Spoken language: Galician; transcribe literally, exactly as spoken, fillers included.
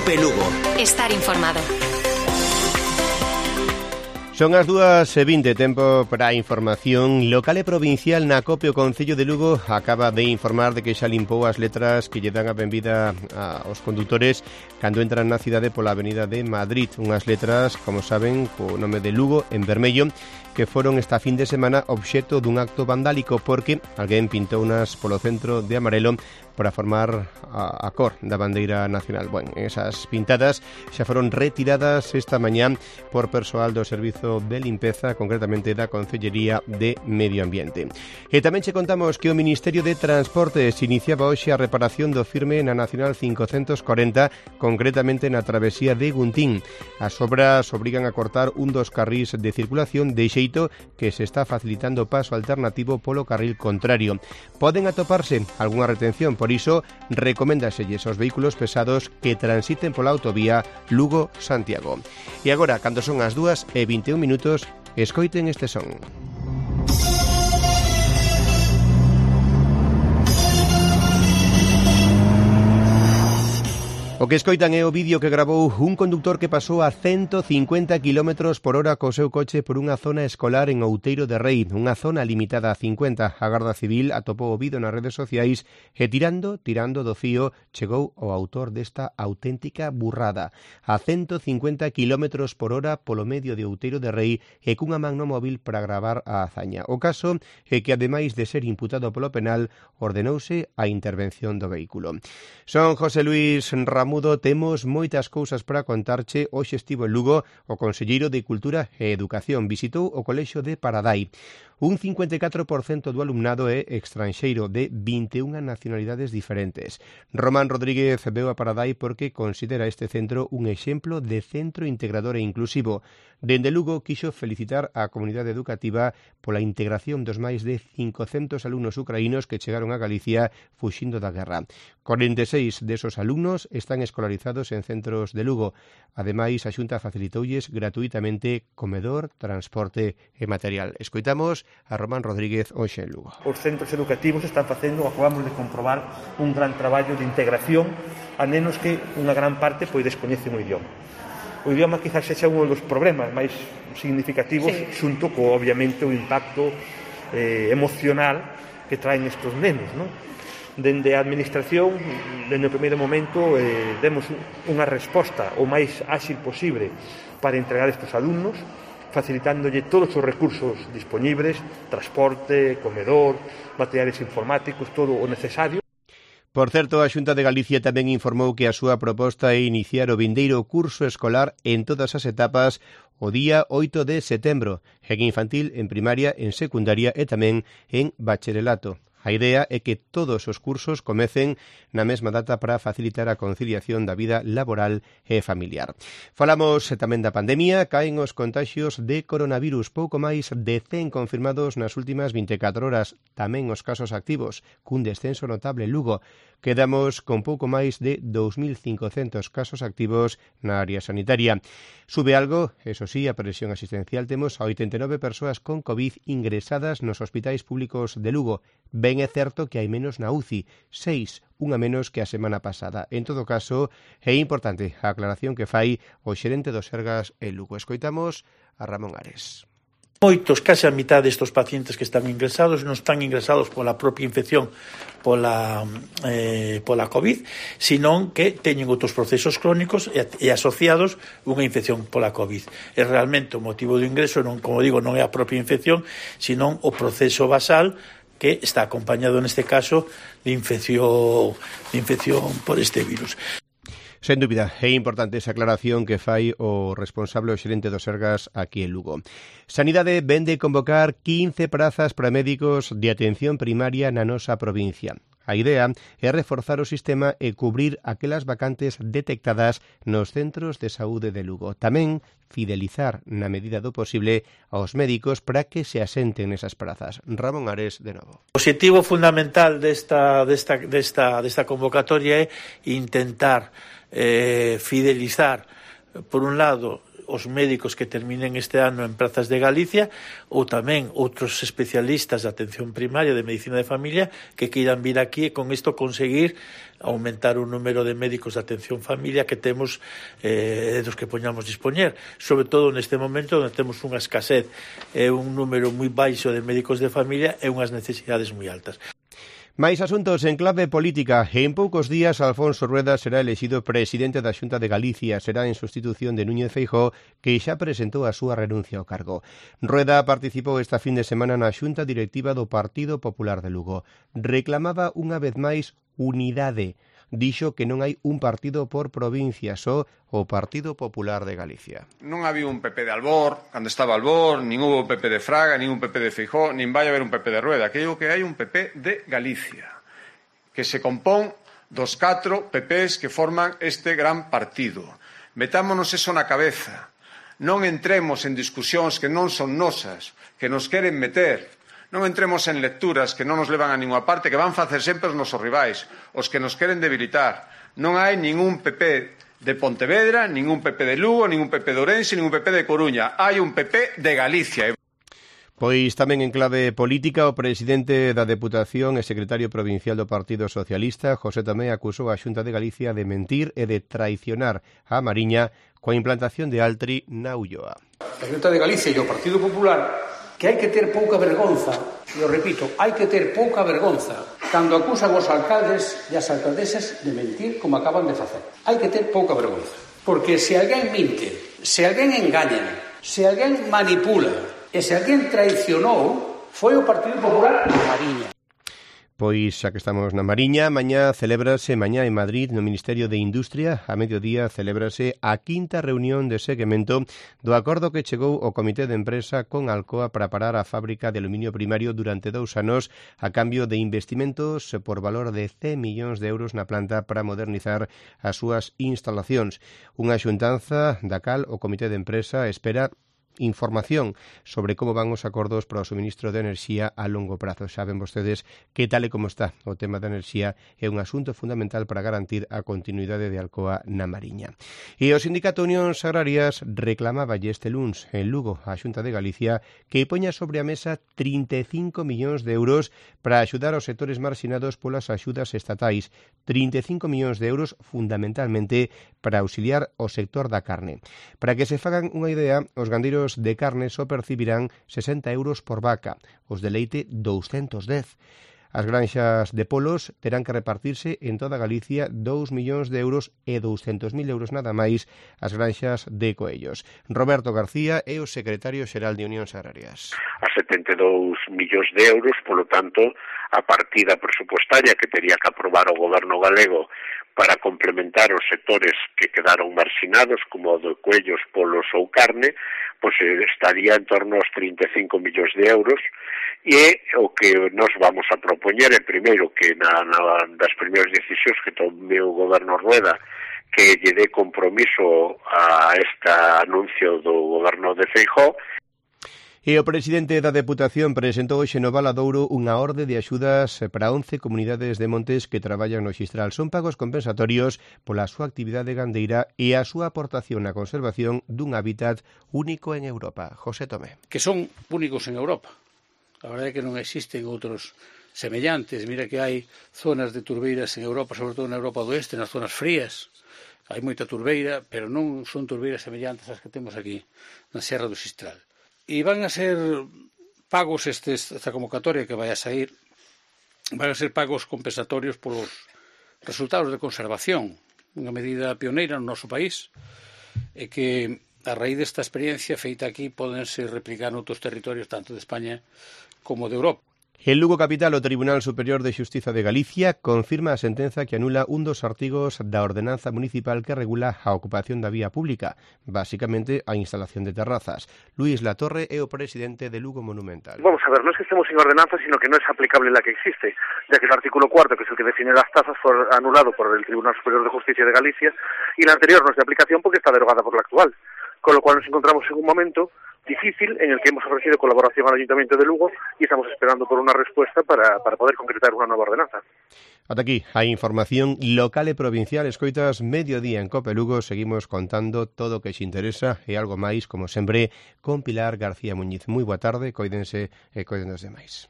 Cope Lugo. Estar informado. Son as dúas e vinte, tempo para a información local e provincial na Cope. O Concello de Lugo acaba de informar de que xa limpou as letras que lle dan a benvida aos condutores cando entran na cidade pola avenida de Madrid. Unhas letras, como saben, co nome de Lugo en vermello, que foron esta fin de semana obxecto dun acto vandálico porque alguén pintounas polo centro de amarelo para formar a, a cor da bandeira nacional. Bueno, esas pintadas xa foron retiradas esta mañá por persoal do Servizo de Limpeza, concretamente da Concellería de Medio Ambiente. E tamén che contamos que o Ministerio de Transportes iniciaba hoxe a reparación do firme na Nacional cincocentos corenta, concretamente na travesía de Guntín. As obras obrigan a cortar un dos carrís de circulación de xeito que se está facilitando o paso alternativo polo carril contrario. Poden atoparse algunha retención, por iso recoméndaselles aos vehículos pesados que transiten pola autovía Lugo-Santiago. E agora, cando son as dúas e vinte e un minutos, escoiten este son. O que escoitan é o vídeo que gravou un conductor que pasou a ciento cincuenta kilómetros por hora co seu coche por unha zona escolar en Outeiro de Rei, unha zona limitada a cincuenta. A Garda Civil atopou o vídeo nas redes sociais e tirando, tirando do fío, chegou o autor desta auténtica burrada. A ciento cincuenta kilómetros por hora polo medio de Outeiro de Rei e cunha man no móvil para gravar a hazaña. O caso é que, ademais de ser imputado polo penal, ordenouse a intervención do vehículo. Son José Luis Ramón Mudo, temos moitas cousas para contarche. Hoxe estivo en Lugo o conselleiro de Cultura e Educación. Visitou o colexio de Paradai. Un cincuenta e catro por cento do alumnado é extranxeiro, de vinte e unha nacionalidades diferentes. Román Rodríguez veu a Paradai porque considera este centro un exemplo de centro integrador e inclusivo. Dende Lugo quixo felicitar a comunidade educativa pola integración dos máis de cincocentos alumnos ucraínos que chegaron a Galicia fuxindo da guerra. cuarenta e seis desos alumnos están escolarizados en centros de Lugo. Ademais, a Xunta facilitoulles gratuitamente comedor, transporte e material. Escoitamos a Román Rodríguez hoxe en Lugo. Os centros educativos están facendo, acabamos de comprobar, un gran traballo de integración a nenos que unha gran parte pois descoñecen o idioma. O idioma quizás sexa un dos problemas máis significativos, sí, xunto co, obviamente, o impacto eh, emocional que traen estes nenos, non? Dende a administración, dende o primeiro momento, eh, demos unha resposta o máis áxil posible para entregar estes alumnos, facilitándolle todos os recursos disponibles, transporte, comedor, materiales informáticos, todo o necesario. Por certo, a Xunta de Galicia tamén informou que a súa proposta é iniciar o vindeiro curso escolar en todas as etapas o día oito de setembro, en infantil, en primaria, en secundaria e tamén en bacharelato. A idea é que todos os cursos comecen na mesma data para facilitar a conciliación da vida laboral e familiar. Falamos tamén da pandemia. Caen os contaxios de coronavirus, pouco máis de cen confirmados nas últimas vinte e catro horas. Tamén os casos activos, cun descenso notable en Lugo. Quedamos con pouco máis de dous mil cincocentos casos activos na área sanitaria. Sube algo, eso sí, a presión asistencial. Temos a oitenta e nove persoas con COVID ingresadas nos hospitais públicos de Lugo. Ben é certo que hai menos na U C I, seis, unha menos que a semana pasada. En todo caso, é importante a aclaración que fai o xerente do Sergas en Lugo. Escoitamos a Ramón Ares. Moitos, case a mitad destes pacientes que están ingresados non están ingresados pola propia infección pola, eh, pola COVID, senón que teñen outros procesos crónicos e, e asociados unha infección pola COVID. E realmente o motivo do ingreso, non, como digo, non é a propia infección, senón o proceso basal que está acompañado neste caso de infección, de infección por este virus. Sen dúbida, é importante esa aclaración que fai o responsable o xerente do Sergas aquí en Lugo. Sanidade vende convocar quince prazas para médicos de atención primaria na nosa provincia. A idea é reforzar o sistema e cubrir aquelas vacantes detectadas nos centros de saúde de Lugo. Tamén fidelizar na medida do posible aos médicos para que se asenten nesas prazas. Ramón Ares, de novo. O objetivo fundamental desta, desta, desta, desta convocatoria é intentar eh, fidelizar, por un lado, os médicos que terminen este ano en prazas de Galicia ou tamén outros especialistas de atención primaria de medicina de familia que queiran vir aquí e con isto conseguir aumentar o número de médicos de atención familia que temos eh, dos que poñamos dispoñer, sobre todo neste momento onde temos unha escasez e un número moi baixo de médicos de familia e unhas necesidades moi altas. Máis asuntos en clave política. En poucos días, Alfonso Rueda será elexido presidente da Xunta de Galicia. Será en sustitución de Núñez Feijóo, que xa presentou a súa renuncia ao cargo. Rueda participou esta fin de semana na Xunta Directiva do Partido Popular de Lugo. Reclamaba unha vez máis unidade. Dixo que non hai un partido por provincia, só o Partido Popular de Galicia. Non había un P P de Albor, cando estaba Albor, nin hubo un P P de Fraga, nin un P P de Feijóo, nin vai haber un P P de Rueda. Que digo que hai un P P de Galicia, que se compón dos catro P Ps que forman este gran partido. Metámonos eso na cabeza. Non entremos en discusións que non son nosas, que nos queren meter. Non entremos en lecturas que non nos levan a ninguna parte, que van facer sempre os nosos rivais, os que nos queren debilitar. Non hai ningún P P de Pontevedra, ningún P P de Lugo, ningún P P de Ourense, ningún P P de Coruña. Hai un P P de Galicia. Pois tamén en clave política, o presidente da Deputación e secretario provincial do Partido Socialista, José Tomé, acusou a Xunta de Galicia de mentir e de traicionar a Mariña coa implantación de Altri na Ulloa. A Xunta de Galicia e o Partido Popular que hai que ter pouca vergonza, e o repito, hai que ter pouca vergonza cando acusan os alcaldes e as alcaldesas de mentir como acaban de facer. Hai que ter pouca vergonza, porque se alguén minte, se alguén engaña, se alguén manipula e se alguén traicionou, foi o Partido Popular a Mariña. Pois xa que estamos na Mariña, mañá celébrase, mañá en Madrid, no Ministerio de Industria, a mediodía celébrase a quinta reunión de seguimento do acordo que chegou o Comité de Empresa con Alcoa para parar a fábrica de aluminio primario durante dous anos a cambio de investimentos por valor de cen millóns de euros na planta para modernizar as súas instalacións. Unha xuntanza da cal o Comité de Empresa espera información sobre como van os acordos para o suministro de enerxía a longo prazo. Saben vostedes que tal e como está o tema da enerxía é un asunto fundamental para garantir a continuidade de Alcoa na Mariña. E o Sindicato Unións Agrarias reclamaba este luns en Lugo a Xunta de Galicia que poña sobre a mesa trinta e cinco millóns de euros para axudar aos sectores marxinados polas axudas estatais. trinta e cinco millóns de euros fundamentalmente para auxiliar o sector da carne. Para que se fagan unha idea, os gandeiros de carne só percibirán sesenta euros por vaca, os de leite douscentos dez. As granxas de polos terán que repartirse en toda Galicia dous millóns de euros e douscentos mil euros nada máis as granxas de coellos. Roberto García é o secretario xeral de Unións Agrarias. A setenta e dous millóns de euros, polo tanto, a partida presupuestaria que tería que aprobar o goberno galego para complementar os sectores que quedaron marxinados, como o de coellos, polos ou carne, pois estaría en torno aos trinta e cinco millóns de euros, e o que nos vamos a propoñer é primeiro que na, na das primeiras decisións que tome o goberno Rueda, que lle dé compromiso a este anuncio do goberno de Feijóo. E o presidente da Deputación presentou hoxe no Valadouro unha orde de axudas para once comunidades de montes que traballan no Xistral. Son pagos compensatorios pola súa actividade gandeira e a súa aportación na conservación dun hábitat único en Europa. José Tomé. Que son únicos en Europa. A verdade é que non existen outros semellantes. Mira que hai zonas de turbeiras en Europa, sobre todo na Europa do Oeste, nas zonas frías. Hai moita turbeira, pero non son turbeiras semellantes ás que temos aquí na Serra do Xistral. E van a ser pagos estes, esta convocatoria que vai a sair, van a ser pagos compensatorios polos resultados de conservación, unha medida pioneira no noso país, e que a raíz desta experiencia feita aquí podense replicar noutros territorios tanto de España como de Europa. En Lugo capital, o Tribunal Superior de Xustiza de Galicia confirma a sentenza que anula un dos artigos da ordenanza municipal que regula a ocupación da vía pública, basicamente a instalación de terrazas. Luis Latorre é o presidente de Lugo Monumental. Vamos a ver, no es que estemos sin ordenanza, sino que no es aplicable la que existe, ya que el artículo cuarto, que es el que define las tasas, fue anulado por el Tribunal Superior de Justicia de Galicia, y la anterior no es de aplicación porque está derogada por la actual. Con lo cual nos encontramos en un momento difícil en el que hemos ofrecido colaboración al Ayuntamiento de Lugo y estamos esperando por una respuesta para, para poder concretar una nueva ordenanza. Ata aquí a información local e provincial. Escoitas Mediodía en Cope Lugo. Seguimos contando todo o que xe interesa e algo máis, como sempre, con Pilar García Muñiz. Moi boa tarde, coídense e coiden dos demais.